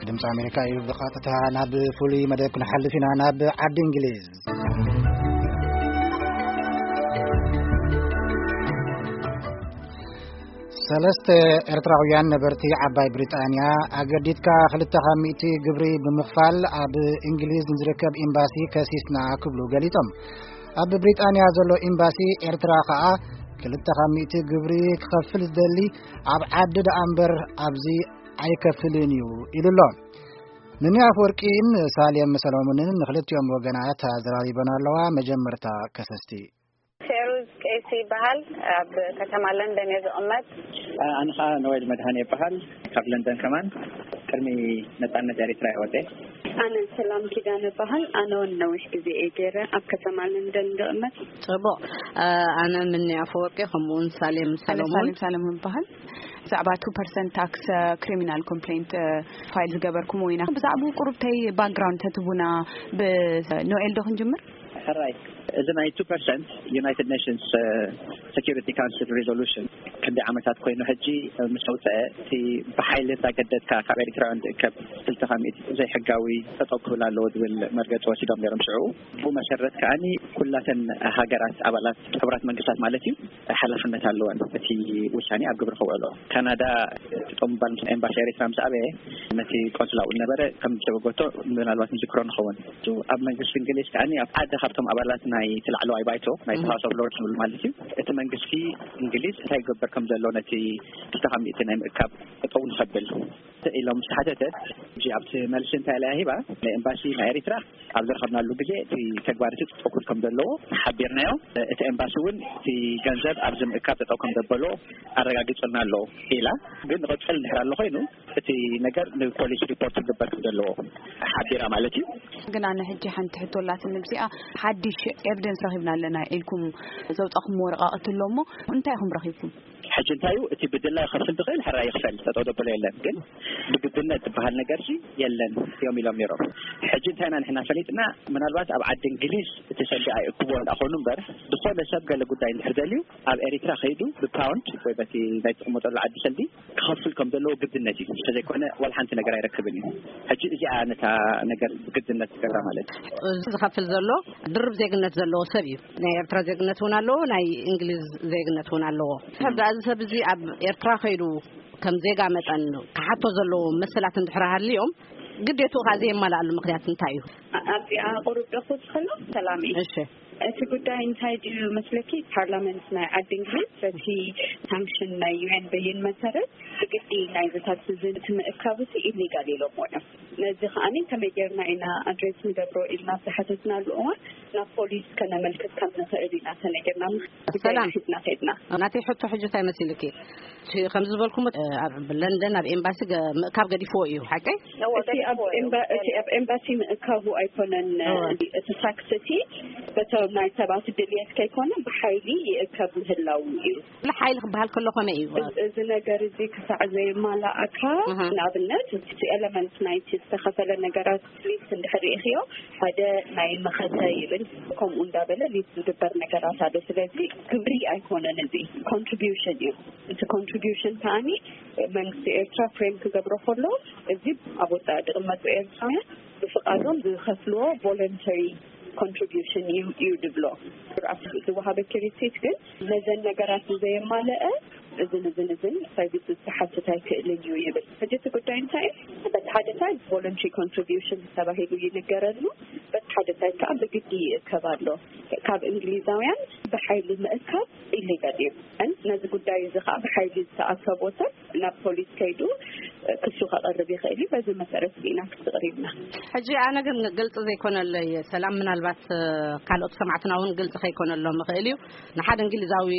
ድምፂ ኣሜሪካ እዩ። ብቐጥታ ናብ ፍሉይ መደብ ክንሓልፍ ኢና፣ ናብ ዓዲ እንግሊዝ። ሰለስተ ኤርትራውያን ነበርቲ ዓባይ ብሪጣንያ፣ ኣገዲድካ ክልተ ካብ ሚእቲ ግብሪ ብምኽፋል ኣብ እንግሊዝ ንዝርከብ ኤምባሲ ከሲስና ክብሉ ገሊጾም። ኣብ ብሪጣንያ ዘሎ ኤምባሲ ኤርትራ ከኣ፣ ክልተ ካብ ሚእቲ ግብሪ ክኸፍል ዝደሊ ኣብ ዓዲ ደኣ እምበር ኣብዚ ኣይከፍልን እዩ ኢሉ ኣሎ። ንኒ ኣፈወርቂን ሳሌም ሰሎሞንን ንክልቲኦም ወገናት ኣዘራሪበን ኣለዋ። መጀመርታ ከሰስቲ። ፌሩዝ ቀይሲ ይበሃል። ኣብ ከተማ ለንደን እየ ዝቕመጥ። ኣነ ኸዓ ኖዌል መድሃን ይበሃል። ካብ ለንደን ከማን ቅድሚ ነጻነት ኤሪትራ እየ ወጸ። ኣነ ሰላም ኪዳነ እበሃል። ኣነ እውን ነዊሕ ግዜ እየ ገይረ ኣብ ከተማ ለንደን ዝቕመጥ። ጽቡቕ። ኣነ ምኒ ኣፈወርቂ፣ ከምኡ እውን ሳሌም ኣነ ሰሎሞን። ሳሌም ሰለሞን እበሃል። ብዛዕባ two percent tax criminal complaint file ዝገበርኩሞ ኢና። ብዛዕባኡ ቁሩብተይ ባክግራውንድ ተትቡና፣ ብኖኤል ዶ ክንጅምር? ሕራይ። እዚ ናይ two percent United Nations Security Council resolution ክንደይ ዓመታት ኮይኑ ሕጂ ምስ ኣውፅአ፣ እቲ ብሓይሊ እንዳገደድካ ካብ ኤሪትራውያን ዝእከብ ክልተ ካብ ሚእቲ ዘይሕጋዊ ጠጠው ክብል ኣለዎ ዝብል መርገፂ ወሲዶም ነይሮም ሽዑ። ብኡ መሰረት ከዓኒ ኩላተን ሃገራት ኣባላት ሕቡራት መንግስታት ማለት እዩ፣ ሓላፍነት ኣለወን እቲ ውሳኔ ኣብ ግብሪ ከውዕሎ። ካናዳ ጠጠው ምባል ምስ ኤምባሲ ኤሪትራ ምስ ኣበየ፣ ነቲ ቆንስላ እውን ነበረ ከም ዝተበገቶ ምናልባት ንዝክሮ ንኸውን። እሱ ኣብ መንግስቲ እንግሊዝ ከዓኒ ኣብ ሓደ ካብቶም ኣባላት ናይ እቲ ላዕለዋይ ባይቶ ናይ እም። House of Lords ዝብል ማለት እዩ፣ እቲ መንግስቲ እንግሊዝ እንታይ ይገብር ከም ዘሎ ነቲ ክልተ ካብ ሚእቲ ናይ ምእካብ ጠጠው ንኸብል ኢሎም ዝተሓተተት፣ ሕጂ ኣብቲ መልሲ እንታይ ኢላ ሂባ፣ ንኤምባሲ ናይ ኤሪትራ ኣብ ዝረኸብናሉ ግዜ እቲ ተግባር እቲ ጠጠው ክብል ከም ዘለዎ ሓቢርናዮ። እቲ ኤምባሲ እውን እቲ ገንዘብ ኣብዚ ምእካብ ጠጠው ከም ዘበሎ ኣረጋጊጹልና ኣሎ ኢላ። ግን ንቐጽል እንድሕር ኣሎ ኮይኑ እቲ ነገር ንፖሊስ ሪፖርት ክግበር ከም ዘለዎ ሓቢራ ማለት እዩ። ግን ኣነ ሕጂ ሓንቲ ሕቶ ኣላትኒ፣ ብዚኣ ሓድሽ ኤቪደንስ ረኺብና ኣለና ኢልኩም ዘውጻኹም ወረቓቕቲ ኣሎ እሞ እንታይ ኢኹም ረኺብኩም? ሕጂ እንታይ እዩ እቲ ብድላ ይኸፍል ዝኽእል ሕራይ ይኽፈል፣ ጠጠው ዘበሎ የለን። ግን ብግድነት ዝበሃል ነገር ሲ የለን እዮም ኢሎም ነይሮም። ሕጂ እንታይ ኢና ንሕና ፈሊጥና፣ ምናልባት ኣብ ዓዲ እንግሊዝ እቲ ሰልዲ ኣይእክቦ እንዳኾኑ እምበር፣ ዝኾነ ሰብ ገለ ጉዳይ እንድሕር ደልዩ ኣብ ኤሪትራ ከይዱ ብፓውንድ ወይ በቲ ናይ ትቕመጠሉ ዓዲ ሰልዲ ክኸፍል ከም ዘለዎ ግድነት እዩ። እንተዘይኮነ ዋላ ሓንቲ ነገር ኣይረክብን እዩ። ሕጂ እዚኣ ነታ ነገር ብግድነት ትገብራ ማለት እዩ። እዚ ዝኸፍል ዘሎ ድርብ ዜግነት ዘለዎ ሰብ እዩ። ናይ ኤርትራ ዜግነት እውን ኣለዎ፣ ናይ እንግሊዝ ዜግነት እውን ኣለዎ። ከብዳ እዚ ሰብ እዚ ኣብ ኤርትራ ከይዱ ከም ዜጋ መጠን ክሓቶ ዘለዎ መሰላት እንድሕር ሃልዮም፣ ግዴትኡ ከኣ ዘየማልኣሉ ምኽንያት እንታይ እዩ? ኣ-፣ ኣብዚኣ ቁሩብ ዶ ክውስኸሉ? ሰላም እዩ። እሺ። እቲ ጉዳይ እንታይ ድዩ መስለኪ? ፓርላመንት ናይ ዓዲ እንግሊዝ በቲ ሳንክሽን ናይ ዩ ኤን በይን መሰረት ብግዲ ናይዚ ታክስ እዚ እቲ ምእካብ እቲ ኢሊጋል ኢሎምዎ እዮም። ነዚ ከኣኒ ከመይ ጌርና ኢና ኣድሬስ ንገብሮ ኢልና ኣብ ዝሓተትናሉ እዋን ናብ ፖሊስ ከነመልክት ከም ንኽእል ኢና ተነጊርና። ጉዳይ ሰላም። ሒዝና ከይድና። ናተይ ሕቶ ሕጂ እንታይ መሲልኪ? እቲ ከም ዝበልኩሞ፣ እ፣ ኣብ ለንደን ኣብ ኤምባሲ ገ-፣ ምእካብ ገዲፍዎ እዩ፣ ሓቀይ? እወ፣ እቲ ኣብ ገዲፍዎ እዩ። ኤምባ-፣ እቲ ኣብ ኤምባሲ ምእካቡ ኣይኮነን፣ እወ። እቲ ታክስ እቲ በቶም ናይ ሰባት ድልየት ከይኮነ ብሓይሊ ይእከብ ምህላው እዩ። ብሓይሊ ክበሃል ከሎ ከመይ እዩ? እዚ፣ እዚ ነገር እዚ ክሳዕ ዘየማላእካ፣ ኣሃ። ንኣብነት፣ እቲ ኤለመንት ናይቲ ዝተኸፈለ ነገራት ሊስት እንድሕር ርኢኽዮ፣ ሓደ ናይ መኸተ ይብል፣ ከምኡ እንዳበለ ሊስት ዝግበር ነገራት ኣሎ። ስለዚ ግብሪ ኣይኮነን፣ እዚ ኮንትሪቢዩሽን እዩ። እቲ ኮንትሪቢዩሽን ከኣኒ መንግስቲ ኤርትራ ፍሬም ክገብሮ ከሎ፣ እዚ ኣብ ወጻኢ ዝቕመጡ ኤርትራውያን ብፍቓዶም ዝኸፍልዎ ቮለንተሪ ኮንትሪቢዩሽን እዩ፣ እዩ ዝብሎ። ኣብቲ ዝወሃበኪ ሪሲት ግን ነዘን ነገራት ዘየማለአ እዝን እዝን እዝን ሰርቪስስ ክሓትት ኣይክእልን እዩ ይብል። ሕጂ እቲ ጉዳይ እንታይ እዩ? በቲ ሓደ ሳይድ ቮለንተሪ ኮንትሪቢዩሽን ተባሂሉ ይንገረሉ፣ በቲ ሓደ ሳይድ ከዓ ብግዲ ይእከብ ኣሎ። ካብ እንግሊዛውያን ብሓይሊ ምእካብ ኢሊጋል እዩ። እን ነዚ ጉዳይ እዚ ከዓ ብሓይሊ ዝተኣከቦ ሰብ ናብ ፖሊስ ከይዱ ክሱ ከቕርብ ይኽእል እዩ። በዚ መሰረት ኢና ክስቕር ኢልና። ሕጂ ኣነ ግን ግልፂ ዘይኮነለይ ሰላም፣ ምናልባት፣ እ፣ ካልኦት ሰማዕትና እውን ግልፂ ከይኮነሎም ይኽእል እዩ። ንሓደ እንግሊዛዊ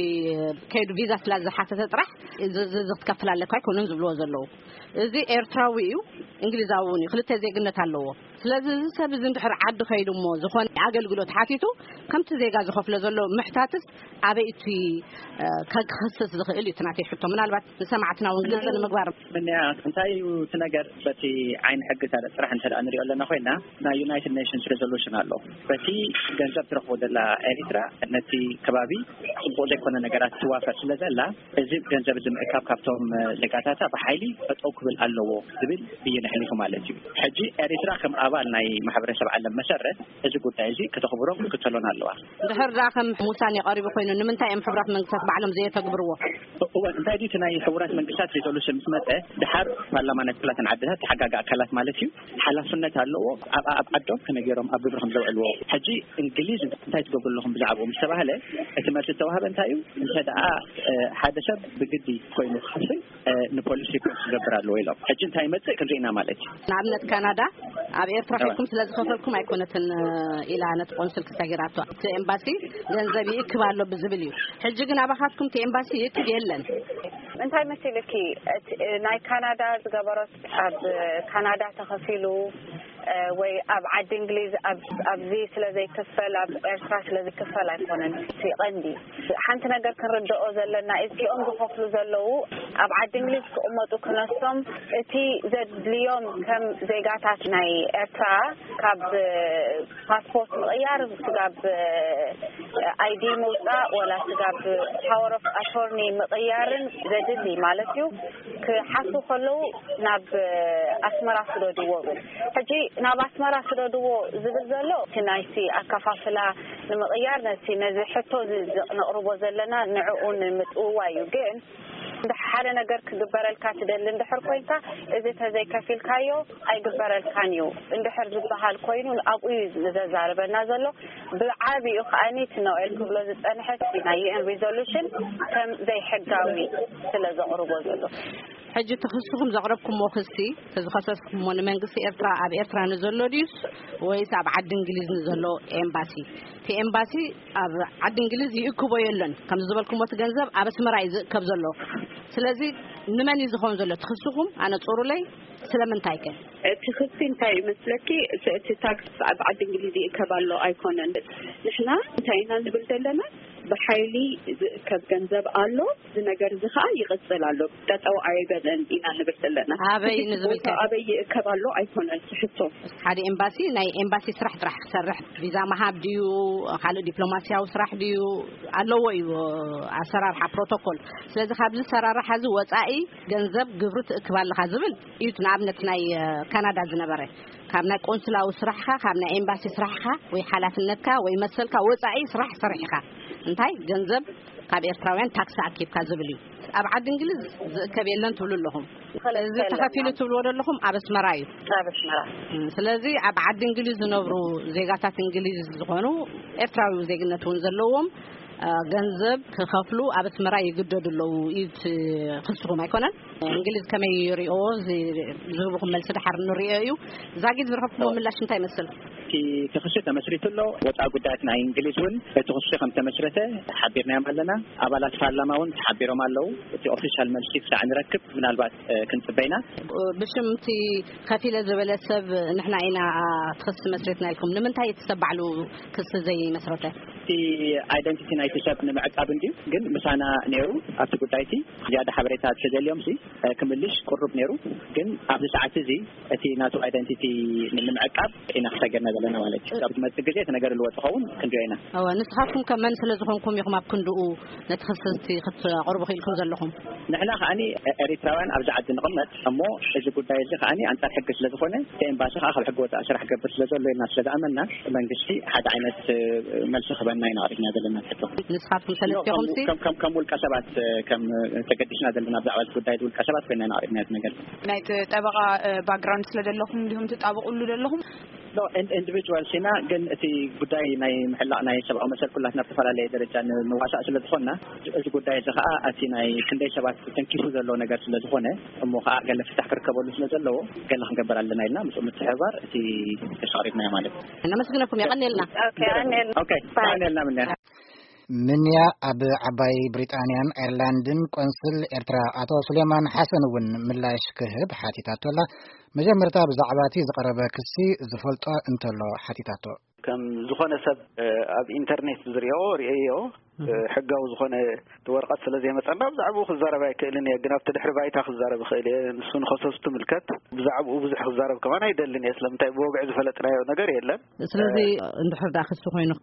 ከይዱ ቪዛ ስለ ዝሓተተ ጥራሕ እዚ፣ እዚ፣ እዚ ክትከፍል ኣለካ ኣይኮኑን ዝብልዎ ዘለዉ። እዚ ኤርትራዊ እዩ፣ እንግሊዛዊ እውን እዩ፣ ክልተ ዜግነት ኣለዎ። ስለዚ እዚ ሰብ እዚ እንድሕር ዓዲ ከይዱ እሞ ዝኾነ ኣገልግሎት ሓቲቱ ከምቲ ዜጋ ዝኸፍሎ ዘሎ ምሕታትስ ኣበይ እቲ ከክኸስስ ዝኽእል እዩ? እቲ ናተይ ሕቶ ምናልባት ንሰማዕትና እውን ግልፂ ንምግባር። ምንያ እንታይ እዩ እቲ ነገር? በቲ ዓይኒ ሕጊ ስራሕ እንተ ንሪኦ ኣለና ኮይና ናይ ዩናይትድ ኔሽንስ ሬዞሉሽን ኣሎ። በቲ ገንዘብ ትረኽቦ ዘላ ኤሪትራ ነቲ ከባቢ ፅቡቕ ዘይኮነ ነገራት ትዋፈር ስለ ዘላ እዚ ገንዘብ እዚ ምእካብ ካብቶም ዜጋታታ ብሓይሊ ጠጠው ክብል ኣለዎ ዝብል ብይን ኣሕሊፉ ማለት እዩ። ሕጂ ኤሪትራ ከም ኣባል ናይ ማሕበረሰብ ዓለም መሰረት እዚ ጉዳይ እዚ ከተኽብሮን ክትከተሎን ኣለዋ። ድሕር ዳ ከም ውሳኔ ቀሪቡ ኮይኑ ንምንታይ እዮም ሕቡራት መንግስታት ባዕሎም ዘየተግብርዎ? እወ እንታይ ድዩ እቲ ናይ ሕቡራት መንግስታት ሬዞሉሽን ምስ መፀ ድሓር ፓርላማ ናይ ኩላተን ዓድታት ተሓጋጋ ኣካላት ማለት እዩ ሓላፍነት ኣለዎ። ኣብ ዓዶም ከመይ ገይሮም ኣብ ግብሪ ከም ዘውዕልዎ። ሕጂ እንግሊዝ እንታይ ትገብሩ ኣለኹም ብዛዕባኡ ምስ ተባህለ እቲ መልሲ ዝተዋህበ እንታይ እዩ? እንተ ደኣ ሓደ ሰብ ብግዲ ኮይኑ ክኸፍል ንፖሊስ ሪፖርት ክገብር ኣለዎ ኢሎም። ሕጂ እንታይ ይመፅእ ክንርኢ ኢና ማለት እዩ። ንኣብነት ካናዳ ኣብ ኤርትራ ኪድኩም ስለ ዝኸፈልኩም ኣይኮነትን ኢላ ነቲ ቆንስል ክሰጊራቶ እቲ ኤምባሲ ገንዘብ ይእክብ ኣሎ ብዝብል እዩ። ሕጂ ግን ኣባኻትኩም እቲ ኤምባሲ ይእክብ የለን። እንታይ መሲልኪ? ናይ ካናዳ ዝገበሮት ኣብ ካናዳ ተኸፊሉ ወይ ኣብ ዓዲ እንግሊዝ ኣብዚ ስለ ዘይክፈል ኣብ ኤርትራ ስለ ዝክፈል ኣይኮነን። እቲ ቀንዲ ሓንቲ ነገር ክንርድኦ ዘለና እዚኦም ዝኸፍሉ ዘለዉ ኣብ ዓዲ እንግሊዝ ክቕመጡ ክነሶም እቲ ዘድልዮም ከም ዜጋታት ናይ ኤርትራ ካብ ፓስፖርት ምቕያር ስጋብ ኣይዲ ምውፃእ ወላ ስጋብ ፓወር ኦፍ ኣቶርኒ ምቕያርን ዘድሊ ማለት እዩ። ክሓቱ ከለዉ ናብ ኣስመራ ስደድዎ ብል ሕጂ ናብ ኣስመራ ስደድዎ ዝብል ዘሎ እቲ ናይቲ ኣከፋፍላ ንምቕያር ነቲ ነዚ ሕቶ ነቕርቦ ዘለና ንዕኡ ንምጥውዋ እዩ። ግን ሓደ ነገር ክግበረልካ ትደሊ እንድሕር ኮይንካ እዚ ተዘይከፊልካዮ ኣይግበረልካን እዩ እንድሕር ዝበሃል ኮይኑ ኣብኡ እዩ ዘዛርበና ዘሎ። ብዓቢኡ ከዓኒ እቲ ኖኤል ክብሎ ዝፀንሐ ናይ ዩኤን ሪዞሉሽን ከም ዘይሕጋዊ ስለ ዘቕርቦ ዘሎ። ሕጂ እቲ ክስኹም ዘቕረብኩሞ ክሲ ተዝኸሰስኩሞ ንመንግስቲ ኤርትራ ኣብ ኤርትራ ንዘሎ ድዩስ ወይስ ኣብ ዓዲ እንግሊዝ ንዘሎ ኤምባሲ? እቲ ኤምባሲ ኣብ ዓዲ እንግሊዝ ይእክቦ የለን ከም ዝበልኩሞ እቲ ገንዘብ ኣብ ኣስመራ እዩ ዝእከብ ዘሎ። ስለዚ ንመን እዩ ዝኸውን ዘሎ እቲ ክስኹም ኣነፅሩለይ? ስለምንታይ ከ? እቲ ክሲ እንታይ ይመስለኪ? እቲ ታክስ ኣብ ዓዲ እንግሊዝ ይእከብ ኣሎ ኣይኮነን። ንሕና እንታይ ኢና ንብል ዘለና? ብሓይሊ ዝእከብ ገንዘብ ኣሎ። እዚ ነገር እዚ ከዓ ይቕፅል ኣሎ። ጠጠው ኣይበለን ኢና ንብል ዘለና። ኣበይ ንዝብል ከ? ኣበይ ይእከብ ኣሎ ኣይኮነን ትሕቶ። ሓደ ኤምባሲ ናይ ኤምባሲ ስራሕ ጥራሕ ክሰርሕ ቪዛ ምሃብ ድዩ ካልእ ዲፕሎማሲያዊ ስራሕ ድዩ ኣለዎ እዩ ኣሰራርሓ ፕሮቶኮል። ስለዚ ካብዚ ሰራርሓ እዚ ወፃኢ ገንዘብ ግብሪ ትእክብ ኣለኻ ዝብል እዩ። ንኣብነት ናይ ካናዳ ዝነበረ ካብ ናይ ቆንስላዊ ስራሕካ ካብ ናይ ኤምባሲ ስራሕካ ወይ ሓላፍነትካ ወይ መሰልካ ወፃኢ ስራሕ ሰሪሕካ እንታይ ገንዘብ ካብ ኤርትራውያን ታክሲ ኣኪብካ ዝብል እዩ። ኣብ ዓዲ እንግሊዝ ዝእከብ የለን ትብሉ ኣለኹም። እዚ ተኸፊሉ ትብልዎ ዘለኹም ኣብ ኣስመራ እዩ። ኣብ ኣስመራ። ስለዚ ኣብ ዓዲ እንግሊዝ ዝነብሩ ዜጋታት እንግሊዝ ዝኾኑ ኤርትራዊ ዜግነት እውን ዘለዎም ገንዘብ ክኸፍሉ ኣብ ኣስመራ ይግደዱ ኣለዉ እዩ እቲ ክስኹም ኣይኮነን? እንግሊዝ ከመይ ይሪኦ ዝህብኹም መልሲ ድሓር ንሪኦ እዩ። ዛጊድ ዝረኸብኩሞ ምላሽ እንታይ ይመስል? እቲ ክሲ ተመስሪቱ ኣሎ። ወፃኢ ጉዳያት ናይ እንግሊዝ እውን እቲ ክሲ ከም ተመስረተ ሓቢርናዮም ኣለና። ኣባላት ፓርላማ እውን ተሓቢሮም ኣለዉ። እቲ ኦፊሻል መልሲ ክሳዕ ንረክብ ምናልባት ክንፅበይና። ብሽም እቲ ከፊለ ዝበለ ሰብ ንሕና ኢና ትኽሲ መስሪትና ኢልኩም ንምንታይ እቲ ሰብ ባዕሉ ክሲ ዘይመስረተ? እቲ ኣይደንቲቲ ናይቲ ሰብ ንምዕቃብ እንድዩ ግን ምሳና ነይሩ ኣብቲ ጉዳይ እቲ ዝያዳ ሓበሬታ ተደልዮም ሲ ክምልሽ ቅሩብ ነይሩ። ግን ኣብዚ ሰዓት እዚ እቲ ናቱ ኣይደንቲቲ ንምዕቃብ ኢና ክሰገርና ዘለና ማለት እዩ። ኣብ ዝመፅእ ግዜ እቲ ነገር ልወጥ ኸውን ክንሪኦ ኢና። እወ ንስኻትኩም ከ መን ስለ ዝኾንኩም ኢኹም ኣብ ክንድኡ ነቲ ክስቲ ክትቕርቡ ክኢልኩም ዘለኹም? ንሕና ከዓኒ ኤሪትራውያን ኣብዚ ዓዲ ንቕመጥ እሞ እዚ ጉዳይ እዚ ከዓኒ ኣንፃር ሕጊ ስለ ዝኾነ እቲ ኤምባሲ ከዓ ካብ ሕጊ ወፃኢ ስራሕ ገብር ስለ ዘሎ ኢልና ስለ ዝኣመና መንግስቲ ሓደ ዓይነት መልሲ ክህበና ኢና ኣቕሪብና ዘለና ሕቶ። ንስኻትኩም ሰለስቲኹም ሲ ከም ከም ውልቀ ሰባት ከም ተገዲስና ዘለና ብዛዕባ እዚ ጉዳይ ውልቀ ሰባት ኮይና ኢና ኣቕሪብና እዚ ነገር። ናይቲ ጠበቓ ባክግራውንድ ስለ ዘለኹም እንዲኹም ትጣበቑሉ ዘለኹም? ኢንዲቪጁዋል ሲና ግን እቲ ጉዳይ ናይ ምሕላቕ ናይ ሰብኣዊ መሰል ኩላትና ብዝተፈላለየ ደረጃ ንዋሳእ ስለ ዝኾንና እዚ ጉዳይ እዚ ከዓ ኣቲ ናይ ክንደይ ሰባት ተንኪፉ ዘሎ ነገር ስለ ዝኾነ እሞ ከዓ ገለ ፍታሕ ክርከበሉ ስለ ዘለዎ ገለ ክንገብር ኣለና ኢልና ምስ ምትሕብባር እቲ ክሳሪትና ማለት እዩ። ነመስግነኩም የቐንየልና። ኦኬ፣ የቐንየልና። ኦኬ፣ የቐንየልና ምንያ። ምንያ ኣብ ዓባይ ብሪጣንያን ኣየርላንድን ቆንስል ኤርትራ ኣቶ ሱሌማን ሓሰን እውን ምላሽ ክህብ ሓቲታቶ ኣላ። መጀመርታ ብዛዕባ እቲ ዝቐረበ ክሲ ዝፈልጦ እንተሎ ሓቲታቶ። ከም ዝኾነ ሰብ ኣብ ኢንተርኔት ዝሪኦ ርእዮ ሕጋዊ ዝኾነ እቲ ወረቐት ስለ ዘይመጸና ብዛዕባኡ ክዛረብ ኣይክእልን እየ። ግን ኣብቲ ድሕሪ ባይታ ክዛረብ እኽእል እየ። ንሱ ንኸሰሱ ትምልከት። ብዛዕባኡ ብዙሕ ክዛረብ ከማን ኣይደልን እየ። ስለምንታይ ብወግዒ ዝፈለጥናዮ ነገር የለን። ስለዚ እንድሕር ደኣ ክሲ ኮይኑ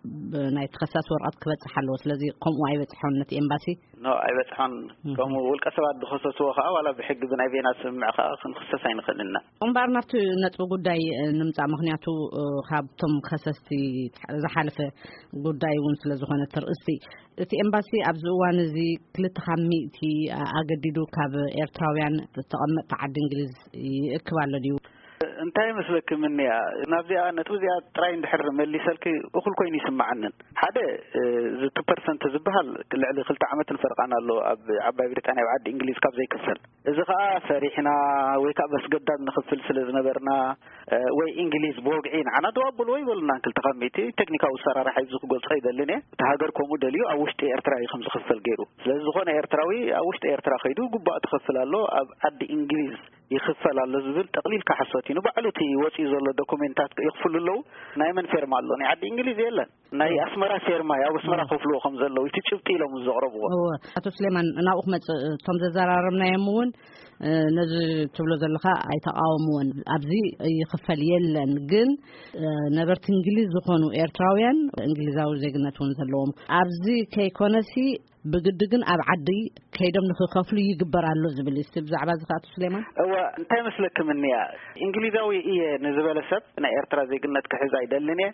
ናይ ተኸሳሲ ወረቐት ክበጽሕ ኣለዎ። ስለዚ ከምኡ ኣይበጽሖን ነቲ ኤምባሲ። ኖ ኣይበጽሖን። ከምኡ ውልቀ ሰባት ዝኸሰስዎ ከዓ ዋላ ብሕጊ ብናይ ቤና ስምምዕ ከዓ ክንክሰስ ኣይንኽእልን ኢና። እምበኣር ናብቲ ነጥቢ ጉዳይ ንምጻእ፣ ምኽንያቱ ካብቶም ከሰስቲ ዝሓለፈ ጉዳይ እውን ስለ ዝኾነ ትርእስቲ እቲ ኤምባሲ ኣብዚ እዋን እዚ ክልተ ካብ ሚእቲ ኣገዲዱ ካብ ኤርትራውያን ተቐመጥቲ ዓዲ እንግሊዝ ይእክብ ኣሎ ድዩ? እንታይ መስለኪ ምንያ ናብዚኣ ነጥቢ እዚኣ ጥራይ እንድሕር መሊሰልኪ እኹል ኮይኑ ይስምዓንን። ሓደ እዚ ቱ ፐርሰንት ዝበሃል ልዕሊ ክልተ ዓመትን ፈርቓን ኣሎ ኣብ ዓባይ ብሪጣንያ ኣብ ዓዲ እንግሊዝ ካብ ዘይክፈል። እዚ ከዓ ፈሪሕና ወይ ከዓ በስገዳድ ንኽፍል ስለ ዝነበርና ወይ እንግሊዝ ብወግዒ ንዓና ደው ኣብልዎ ይበሉና። ክልተ ካብ ሚእቲ ቴክኒካዊ ኣሰራርሓ እዩ ክገልጾ ይደልን እየ። እቲ ሃገር ከምኡ ደልዩ ኣብ ውሽጢ ኤርትራ እዩ ከም ዝኽፈል ገይሩ። ስለዚ ዝኾነ ኤርትራዊ ኣብ ውሽጢ ኤርትራ ከይዱ ግቡኣ ትኸፍል ኣሎ ኣብ ዓዲ እንግሊዝ ይኽፈል ኣሎ ዝብል ጠቕሊልካ ሓሶት እዩ። ንባዕሉ እቲ ወፂኡ ዘሎ ዶኩሜንታት ይኽፍሉ ኣለዉ። ናይ መን ፌርማ ኣሎ? ናይ ዓዲ እንግሊዝ የለን። ናይ ኣስመራ ፌርማ እዩ። ኣብ ኣስመራ ከፍልዎ ከም ዘለዉ እቲ ጭብጢ ኢሎም ዘቕረብዎ። እወ፣ ኣቶ ስሌማን ናብኡ ክመፅእ እቶም ዘዘራረብናዮም እውን ነዚ ትብሎ ዘለኻ ኣይተቃወምዎን። ኣብዚ ይኽፈል የለን። ግን ነበርቲ እንግሊዝ ዝኾኑ ኤርትራውያን እንግሊዛዊ ዜግነት እውን ዘለዎም ኣብዚ ከይኮነሲ ብግዲ ግን ኣብ ዓዲ ከይዶም ንክኸፍሉ ይግበር ኣሎ ዝብል እዩ። እስቲ ብዛዕባ እዚ ከኣቶ ስሌማን። እወ፣ እንታይ መስለክም እንያ? እንግሊዛዊ እየ ንዝበለ ሰብ ናይ ኤርትራ ዜግነት ክሕዝ ኣይደልን እየ፣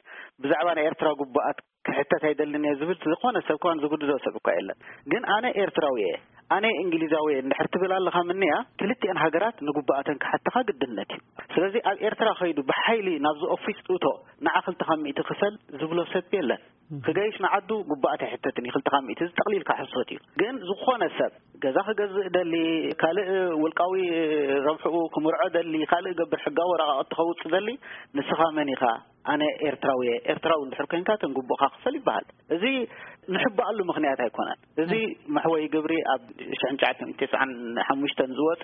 ብዛዕባ ናይ ኤርትራ ግቡኣት ክሕተት ኣይደልን እየ ዝብል ዝኾነ ሰብ ከዋን ዝጉድዶ ሰብ እኳ የለን። ግን ኣነ ኤርትራዊ እየ፣ ኣነ እንግሊዛዊ እየ እንድሕር ትብል ኣለኻ ምንያ፣ ክልቲአን ሃገራት ንግቡኣተን ክሓተኻ ግድነት እዩ። ስለዚ ኣብ ኤርትራ ከይዱ ብሓይሊ ናብዚ ኦፊስ እቶ ንዓ ክልተ ካብ ሚእቲ ክፈል ዝብሎ ሰብ የለን። ክገይሽ ንዓዱ ግቡኣት ኣይሕተትን እዩ። ክልተ ካብ ሚእቲ እዚ ጠቕሊልካ ሕሶት እዩ። ግን ዝኾነ ሰብ ገዛ ክገዝእ ደሊ፣ ካልእ ውልቃዊ ረብሕኡ ክምርዖ ደሊ፣ ካልእ ገብር ሕጋዊ ወረቓቕቲ ከውፅእ ደሊ፣ ንስኻ መን ኢኻ? ኣነ ኤርትራዊ እየ። ኤርትራዊ እንድሕር ኮንካ ተን ግቡእካ ክፈል ይበሃል። እዚ ንሕባኣሉ ምኽንያት ኣይኮነን። እዚ መሕወይ ግብሪ ኣብ ሽሕን ትሽዓተ ሚእትን ተስዓን ሓሙሽተን ዝወፀ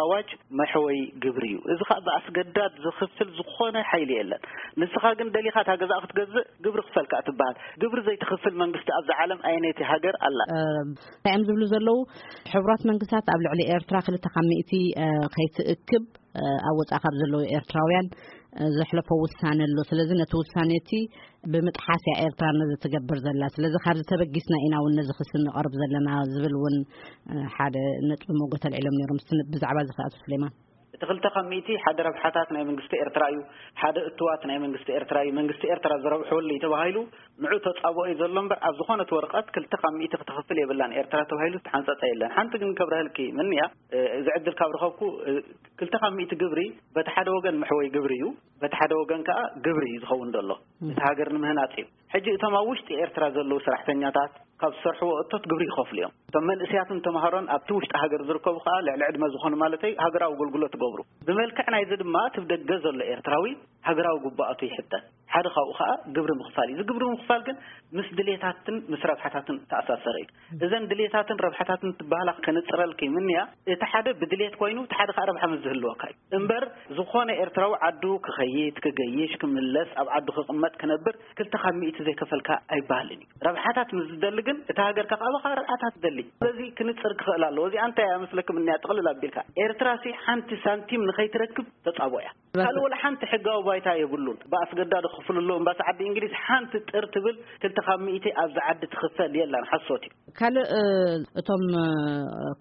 ኣዋጅ መሕወይ ግብሪ እዩ። እዚ ከዓ ብኣስገዳድ ዝኽፍል ዝኾነ ሓይሊ የለን። ንስኻ ግን ደሊኻ እታ ገዛ ክትገዝእ ግብሪ ክፈልካ ትበሃል። ግብሪ ዘይትኽፍል መንግስቲ ኣብዛ ዓለም ኣየነይቲ ሃገር ኣላ? እንታይ እዮም ዝብሉ ዘለዉ? ሕቡራት መንግስታት ኣብ ልዕሊ ኤርትራ ክልተ ካብ ሚእቲ ከይትእክብ ኣብ ወጻኢ ካብ ዘለዉ ኤርትራውያን ዘሕለፎ ውሳኔ ኣሎ። ስለዚ ነቲ ውሳኔ እቲ ብምጥሓስ እያ ኤርትራ ነዚ ትገብር ዘላ። ስለዚ ካብዚ ተበጊስና ኢና እውን ነዚ ክሲ ንቐርብ ዘለና ዝብል እውን ሓደ ነጥቢ መጎተ ኣልዒሎም ነይሮም። እስቲ ብዛዕባ እዚ ከኣ ኣቶ ስሌማን። እቲ ክልተ ካብ ሚእቲ ሓደ ረብሓታት ናይ መንግስቲ ኤርትራ እዩ፣ ሓደ እትዋት ናይ መንግስቲ ኤርትራ እዩ፣ መንግስቲ ኤርትራ ዝረብሐሉ እዩ ተባሂሉ ንዑ ተጻብኦ እዩ ዘሎ እምበር ኣብ ዝኾነት ወረቐት ክልተ ካብ ሚእቲ ክትኸፍል የብላን ኤርትራ ተባሂሉ ዝተሓንጸጸ የለን። ሓንቲ ግን ከብረህልኪ ምንያ፣ እዚ ዕድል ካብ ረኸብኩ፣ ክልተ ካብ ሚእቲ ግብሪ በቲ ሓደ ወገን መሕወይ ግብሪ እዩ፣ በቲ ሓደ ወገን ከኣ ግብሪ እዩ ዝኸውን ዘሎ። እቲ ሃገር ንምህናጽ እዩ። ሕጂ እቶም ኣብ ውሽጢ ኤርትራ ዘለዉ ሰራሕተኛታት ካብ ዝሰርሕዎ እቶት ግብሪ ይኸፍሉ እዮም። እቶም መንእስያትን ተምሃሮን ኣብቲ ውሽጢ ሃገር ዝርከቡ ከኣ ልዕሊ ዕድመ ዝኾኑ ማለተይ ሃገራዊ ኣገልግሎት ትገብሩ። ብመልክዕ ናይዚ ድማ እቲ ብደገ ዘሎ ኤርትራዊ ሃገራዊ ግቡኣቱ ይሕተት። ሓደ ካብኡ ከኣ ግብሪ ምኽፋል እዩ። እዚ ግብሪ ምኽፋል ግን ምስ ድሌታትን ምስ ረብሓታትን ተኣሳሰረ እዩ። እዘን ድሌታትን ረብሓታትን ትበሃላ ከነጽረልኪ ምንያ፣ እቲ ሓደ ብድሌት ኮይኑ እቲ ሓደ ከኣ ረብሓ ምስ ዝህልወካ እዩ። እምበር ዝኾነ ኤርትራዊ ዓዱ ክኸይድ፣ ክገይሽ፣ ክምለስ፣ ኣብ ዓዱ ክቕመጥ፣ ክነብር ክልተ ካብ ሚእቲ ዘይከፈልካ ኣይበሃልን እዩ። ረብሓታት ምስ ዝደሊ ግን እቲ ሃገር ከቕዕበኻ ረብሓታት ትደሊ። ስለዚ ክንጽር ክኽእል ኣለዎ። እዚኣ እንታይ እያ መስለክም እንያ ጥቕልል ኣቢልካ ኤርትራ ሲ ሓንቲ ሳንቲም ንኸይትረክብ ተጻቦ እያ። ካልእ ወላ ሓንቲ ሕጋዊ ባይታ የብሉን። ብኣስገዳዶ ክፍሉ ኣለዎም። ባስ ዓዲ እንግሊዝ ሓንቲ ጥር ትብል ክልተ ካብ ሚእቲ ኣብዚ ዓዲ ትኽፈል የላን። ሓሶት እዩ። ካልእ እቶም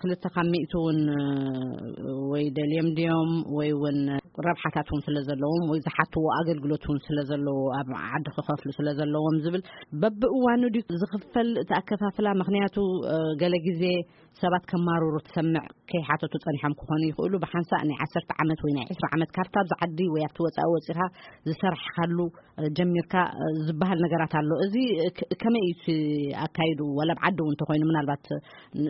ክልተ ካብ ሚእቲ እውን ወይ ደልዮም ድዮም ወይ እውን ረብሓታት እውን ስለ ዘለዎም ወይ ዝሓትዎ ኣገልግሎት እውን ስለ ዘለዎ ኣብ ዓዲ ክኸፍሉ ስለ ዘለዎም ዝብል በብእዋኑ ድዩ ዝኽፈል እቲ ኣከፋፍላ? ምኽንያቱ ገለ ግዜ ሰባት ከማርሩ ትሰምዕ ከይሓተቱ ጸኒሖም ክኾኑ ይኽእሉ። ብሓንሳእ ናይ ዓሰርተ ዓመት ወይ ናይ ዕስራ ዓመት ካብታ ኣብዚ ዓዲ ወይ ኣብቲ ወጻኢ ወጺኻ ዝሰራሕካሉ ጀሚርካ ዝበሃል ነገራት ኣሎ። እዚ ከመይ እዩ እቲ ኣካይዱ? ዋላ ኣብ ዓዲ እውን እንተኾይኑ ምናልባት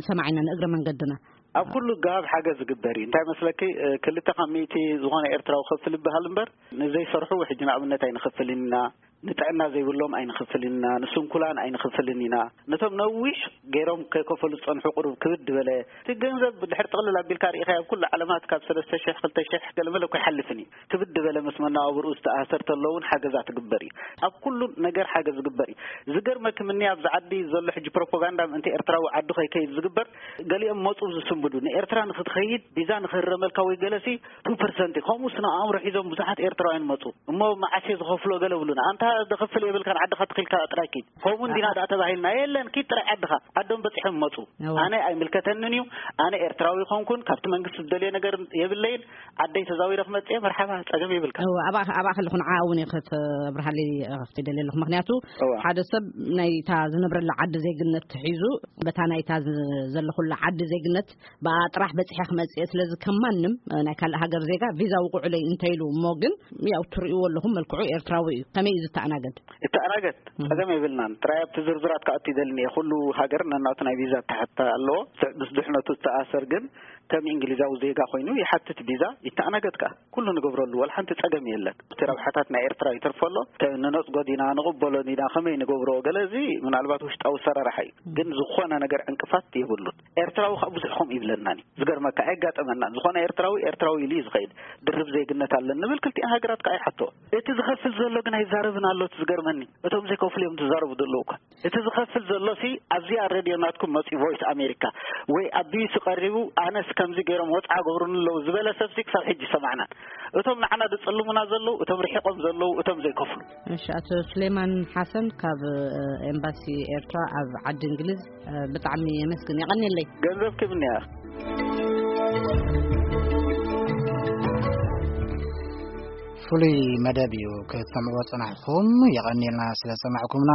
ሰማዒና ንእግረ መንገድና ኣብ ኩሉ ጋብ ሓገዝ ዝግበር እዩ። እንታይ መስለኪ፣ ክልተ ካብ ሚእቲ ዝኾነ ኤርትራዊ ክፍል ይበሃል እምበር ንዘይሰርሑ ሕጂ ንኣብነት ኣይንኽፍልን ኢና። ንጥዕና ዘይብሎም ኣይንኽፍልን ኢና፣ ንስንኩላን ኣይንኽፍልን ኢና። ነቶም ነዊሕ ገይሮም ከይከፈሉ ዝጸንሑ ቁሩብ ክብድ ዝበለ፣ እቲ ገንዘብ ድሕር ጥቕልል ኣቢልካ ርኢኻ ኣብ ኩሉ ዓለማት ካብ ሰለስተ ሽሕ ክልተ ሽሕ ገለመለ እኮ ይሓልፍን እዩ። ክብድ ዝበለ ምስ መነባብርኡ ዝተኣሰር ተሎ እውን ሓገዛ ትግበር እዩ። ኣብ ኩሉ ነገር ሓገዝ ዝግበር እዩ። ዝገርመኪ ምኒ ኣብዚ ዓዲ ዘሎ ሕጂ ፕሮፓጋንዳ ምእንቲ ኤርትራዊ ዓዱ ከይከይድ ዝግበር፣ ገሊኦም መጹ ዝስንብዱ፣ ንኤርትራ ንክትኸይድ ቪዛ ንክህረመልካ ወይ ገለሲ ቱ ፐርሰንት እዩ። ከምኡ ስነ ኣእምሮ ሒዞም ብዙሓት ኤርትራውያን መጹ። እሞ መዓስ እየ ዝኸፍሎ ገለ ብሉና። ኣንታ ደኸፍል የብልካን፣ ዓድኻ ተኺልካ ጥራይ ኪድ። ከምኡ እንዲና ደኣ ተባሂልና፣ የለን፣ ኪድ ጥራይ ዓድኻ። ዓዶም በጺሖም መጹ። ኣነ ኣይምልከተንን እዩ። ኣነ ኤርትራዊ ይኾንኩን ካብቲ መንግስቲ ዝደልዮ ነገር የብለይን። ዓደይ ተዛዊረ ክመጽእ እየ፣ መርሓባ፣ ጸገም የብልካ። እወ፣ ኣብኣ ኣብኣ ከለኹ ንዓ እውን እየ ከተብርሃለይ ከፍቲ ደልየ ኣለኹ። ምኽንያቱ እወ። ሓደ ሰብ ናይታ ዝነብረላ ዓዲ ዜግነት ሒዙ በታ ናይታ ዝ- ዘለኹላ ዓዲ ዜግነት ብኣ ጥራሕ በጺሐ ክመጽእ እየ። ስለዚ ከም ማንም ናይ ካልእ ሃገር ዜጋ ቪዛ ውቁዑለይ እንተኢሉ እሞ ግን ያው ትርእይዎ ኣለኹም መልክዑ ኤርትራዊ እዩ። ከመይ እዩ ዝተኣናገድ? እተኣናገድ እም። ጸገም የብልናን። ጥራይ ኣብቲ ዝርዝራት ክኣቱ ይደልን እየ። ኩሉ ሃገር ነናቱ ናይ ቪዛ ኣተሓታ ኣለዎ። ምስ ድሕነቱ ዝተኣሰር ግን ከም እንግሊዛዊ ዜጋ ኮይኑ ይሓትት ቪዛ ይተኣናገድ ከኣ። ኩሉ ንገብረሉ፣ ወላ ሓንቲ ጸገም የለን። እቲ ረብሓታት ናይ ኤርትራ ይተርፎ ኣሎ። ተ- ንነጽጎ ዲና፣ ንቕበሎ ዲና፣ ከመይ ንገብሮ? ገለ እዚ ምናልባት ውሽጣዊ ሰራራሕ እዩ። ግን ዝኾነ ነገር ዕንቅፋት የብሉን። ኤርትራዊ ከኣ ብዙሕ ከምኡ ይብለናን እዩ። ዝገርመካ፣ ኣይጋጠመናን። ዝኾነ ኤርትራዊ፣ ኤርትራዊ ኢሉ እዩ ዝኸይድ። ድርብ ዜግነት ኣለን ንብል፣ ክልቲኣን ሃገራት ከኣ ይሓቶ። እቲ ዝኸፍል ዘሎ ግን ኣይዛረብን ኣሎ። እቲ ዝገርመኒ፣ እቶም ዘይከፍሉ እዮም ዝዛረቡ ዘለዉ እኳ። እቲ ዝኸፍል ዘሎ ሲ ኣብዚኣ ሬድዮ ናትኩም መጺኡ፣ ቮይስ ኣሜሪካ ወይ ኣብ ቢቢሲ ቀሪቡ፣ ኣነስ ከምዚ ገይሮም ወጽዓ ገብሩኒ ኣለዉ ዝበለ ሰብ ሲ ክሳብ ሕጂ ይሰማዕናን። እቶም ንዓና ዝጽልሙና ዘለዉ፣ እቶም ርሒቖም ዘለዉ፣ እቶም ዘይከፍሉ። እሺ፣ ኣቶ ስሌማን ሓሰን ካብ፣ እ፣ ኤምባሲ ኤርትራ ኣብ ዓዲ እንግሊዝ፣ እ፣ ብጣዕሚ የመስግን። የቐንየለይ። ገንዘብ ክብኒ እያ። ፍሉይ መደብ እዩ ክትሰምዕዎ ጸናሕኩም። የቐንየልና ስለ ዝሰማዕኩምና።